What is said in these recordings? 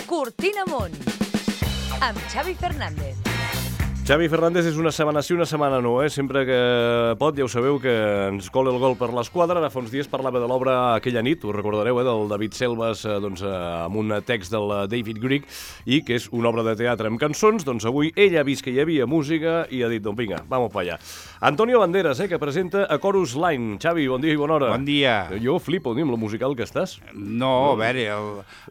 Cortina Amunt, amb Xavi Fernández. Xavi Fernández és una setmana sí, una setmana no, Sempre que pot, ja ho sabeu, que ens cola el gol per l'esquadra. Ara fa uns dies parlava de l'obra Aquella nit, us recordareu, del David Selves, amb un text del David Grieg, i que és una obra de teatre amb cançons. Doncs avui ell ha vist que hi havia música i ha dit, doncs vinga, vamos pa allà. Antonio Banderas, que presenta A Chorus Line. Xavi, bon dia i bona hora. Bon dia. Jo flipo, amb lo musical que estàs. No, a veure,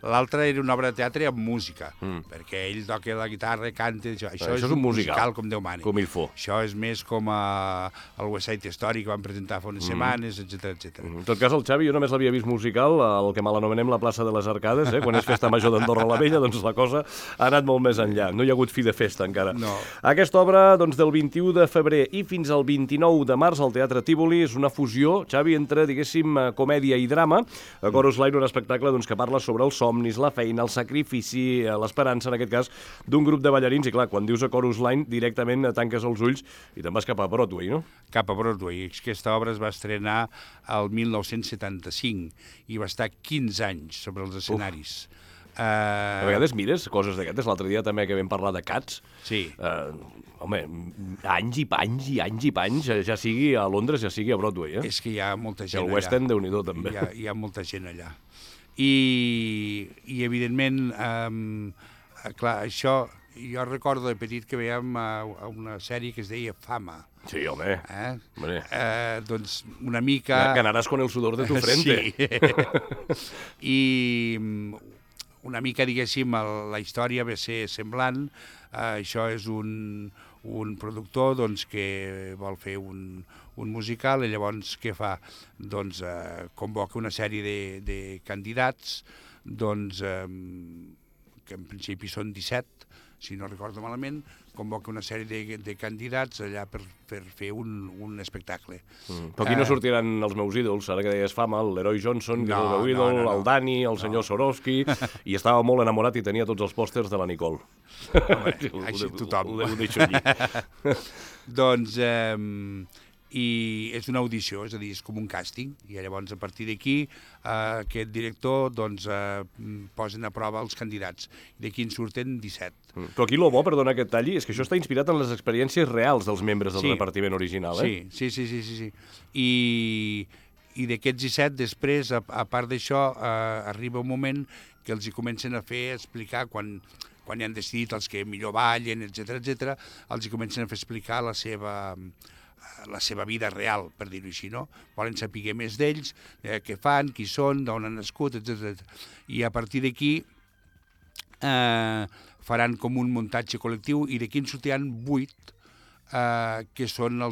l'altre era una obra de teatre amb música, perquè ell toca la guitarra, canta, això és un musical com Déu mani. Com il faut. Això és més com el West Side Story que van presentar fa unes setmanes, etc. En tot cas, el Xavi, jo només l'havia vist musical, el que mal anomenem la plaça de les Arcades, quan és festa major d'Andorra la Vella, doncs la cosa ha anat molt més enllà. No hi ha hagut fi de festa encara. No. Aquesta obra, doncs, del 21 de febrer i fins al 29 de març al Teatre Tívoli és una fusió, Xavi, entre, diguéssim, comèdia i drama. A Chorus Line, un espectacle doncs, que parla sobre els somnis, la feina, el sacrifici, l'esperança, en aquest cas, d'un grup de ballarins. I clar, quan dius a Chorus Line, directament tanques els ulls i te'n vas cap a Broadway, no? Cap a Broadway. Aquesta obra es va estrenar el 1975 i va estar 15 anys sobre els escenaris. A vegades mires coses d'aquestes. L'altre dia també que vam parlar de Cats. Sí. Home, anys i panys, ja sigui a Londres, ja sigui a Broadway, És que hi ha molta gent allà. El West End, Déu-n'hi-do, també. Hi ha molta gent allà. I evidentment, clar, això... Jo recordo de petit que veiem una sèrie que es deia Fama. Sí, home. Doncs una mica... Ganaràs con el sudor de tu frente. Sí. I una mica, diguéssim, la història va ser semblant. Això és un productor doncs, que vol fer un musical i llavors què fa? Doncs convoca una sèrie de candidats, doncs, que en principi són 17, si no recordo malament, convoca una sèrie de candidats allà per fer un espectacle. Però aquí no sortiran els meus ídols, ara que deies Fama, l'Heroi Johnson, que és el meu ídol, el Dani, el senyor Swarovski, i estava molt enamorat i tenia tots els pòsters de la Nicole. Home, així tothom. Ho deixo allí. Doncs... i és una audició, és a dir, és com un càsting, i llavors a partir d'aquí aquest director doncs, posen a prova els candidats, i d'aquí en surten 17. Però aquí el bo, perdona que et talli, és que això està inspirat en les experiències reals dels membres del repartiment original, Sí. I d'aquests 17, després, a part d'això, arriba un moment que els hi comencen a fer explicar, quan ja han decidit els que millor ballen, etc, els hi comencen a fer explicar la seva vida real, per dir-ho així, no? Volen saber més d'ells, què fan, qui són, d'on han nascut, etc. I a partir d'aquí faran com un muntatge col·lectiu i d'aquí en sortiran 8 que són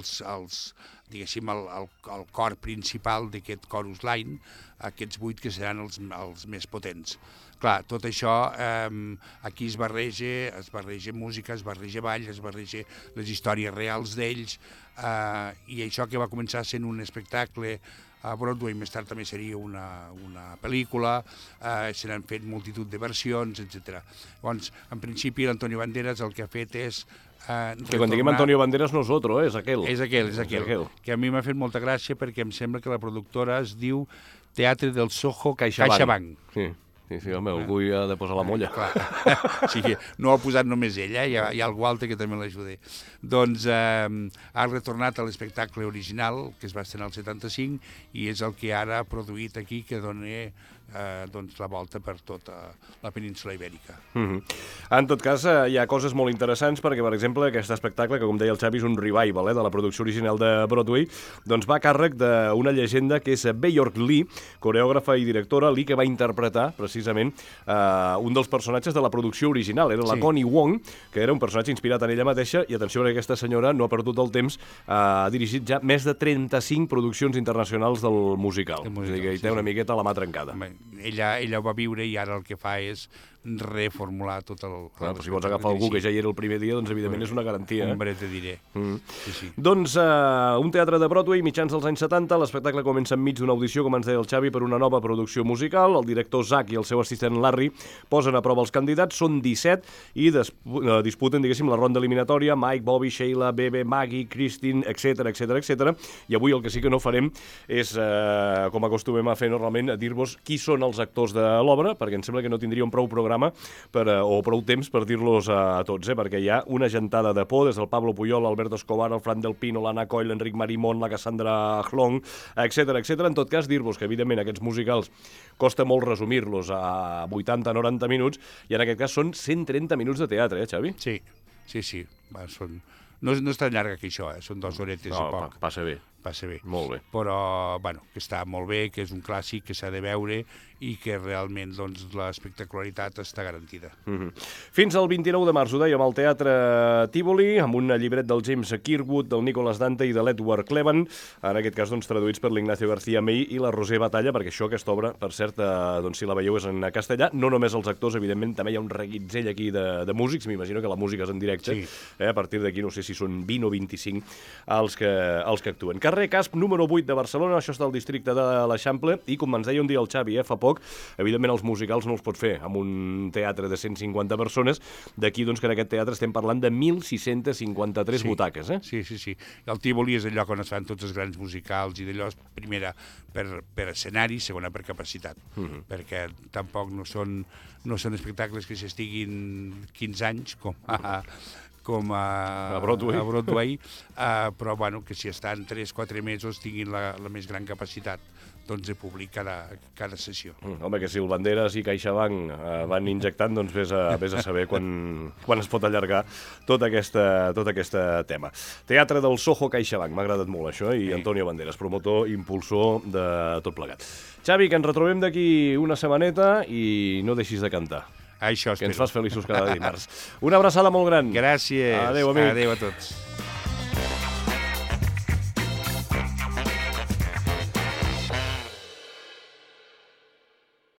diguéssim, el cor principal d'aquest Chorus Line, aquests 8 que seran els més potents. Clar, tot això, aquí es barreja música, es barreja ball, es barreja les històries reals d'ells, i això que va començar sent un espectacle a Broadway, més tard també seria una pel·lícula, se n'han fet multitud de versions, etc. Llavors, en principi, l'Antonio Banderas el que ha fet és que quan diguem Antonio Banderas no és otro, és aquell. És aquell. Que a mi m'ha fet molta gràcia perquè em sembla que la productora es diu Teatre del Soho CaixaBank. Sí, home, algú hi ha de posar la molla. Clar. Sí, no ho ha posat només ell, hi ha algú altre que també l'ajuda. Doncs ha retornat a l'espectacle original, que es va estrenar al 75, i és el que ara ha produït aquí, que dona la volta per tota la península Ibèrica. En tot cas, hi ha coses molt interessants, perquè, per exemple, aquest espectacle, que com deia el Xavi és un revival de la producció original de Broadway, doncs va a càrrec d'una llegenda que és Bjork Lee, coreògrafa i directora, Lee que va interpretar, precisament, un dels personatges de la producció original. Era la Connie Wong, que era un personatge inspirat en ella mateixa, i atenció, perquè aquesta senyora no ha perdut el temps, ha dirigit ja més de 35 produccions internacionals del musical. És a dir, que hi té una miqueta la mà trencada. Ella ho va viure i ara el que fa és reformular tot el... Però si vols agafar algú que ja hi era el primer dia, doncs evidentment és una garantia. Hombre, te diré. Sí. Doncs un teatre de Broadway, mitjans dels anys 70, l'espectacle comença enmig d'una audició, com ens deia el Xavi, per una nova producció musical. El director Zach i el seu assistent Larry posen a prova els candidats, són 17, i disputen, diguéssim, la ronda eliminatòria, Mike, Bobby, Sheila, Bebe, Maggie, Christine, etc. I avui el que sí que no farem és, com acostumem a fer normalment, dir-vos qui són són els actors de l'obra, perquè em sembla que no tindríem prou programa o prou temps per dir-los a tots, perquè hi ha una gentada de por, des del Pablo Puyol, Alberto Escobar, el Fran del Pino, l'Anna Coll, l'Enric Marimón, la Cassandra Hlong, etc. En tot cas, dir-vos que, evidentment, aquests musicals costa molt resumir-los a 80-90 minuts, i en aquest cas són 130 minuts de teatre, Xavi? Sí. Va, no és tan llarga que això, són 2 horetes i poc. Passa bé. Molt bé. Però, que està molt bé, que és un clàssic, que s'ha de veure i que realment l'espectacularitat està garantida. Fins al 29 de març, ho dèiem, al Teatre Tívoli, amb un llibret del James Kirkwood, del Nicholas Dante i de l'Edward Cleven, en aquest cas traduïts per l'Ignacio García May i la Roser Batalla, perquè aquesta obra, per cert, si la veieu és en castellà, no només els actors, evidentment, també hi ha un reguitzell aquí de músics, m'imagino que la música és en directe, a partir d'aquí no sé si són 20 o 25 els que actuen. Carrer Casp, número 8 de Barcelona, això està al districte de l'Eixample, i com ens deia un dia el Xavi, fa poc, evidentment els musicals no els pot fer amb un teatre de 150 persones, d'aquí que en aquest teatre estem parlant de 1.653 butaques. Sí. El Tívoli és el lloc on es fan tots els grans musicals i d'allò, primera, per escenari, segona, per capacitat, perquè tampoc no són espectacles que s'estiguin 15 anys, com a Broadway, però que si estan 3-4 mesos tinguin la més gran capacitat de públic cada sessió. Home, que si el Banderas i CaixaBank van injectant, vés a saber quan es pot allargar tot aquest tema. Teatre del Soho CaixaBank, m'ha agradat molt això, i Antonio Banderas, promotor, impulsor de tot plegat. Xavi, que ens retrobem d'aquí una setmaneta i no deixis de cantar. Això espero. Que ens fas feliços cada dimarts. Una abraçada molt gran. Gràcies. Adéu, amic. Adéu a tots.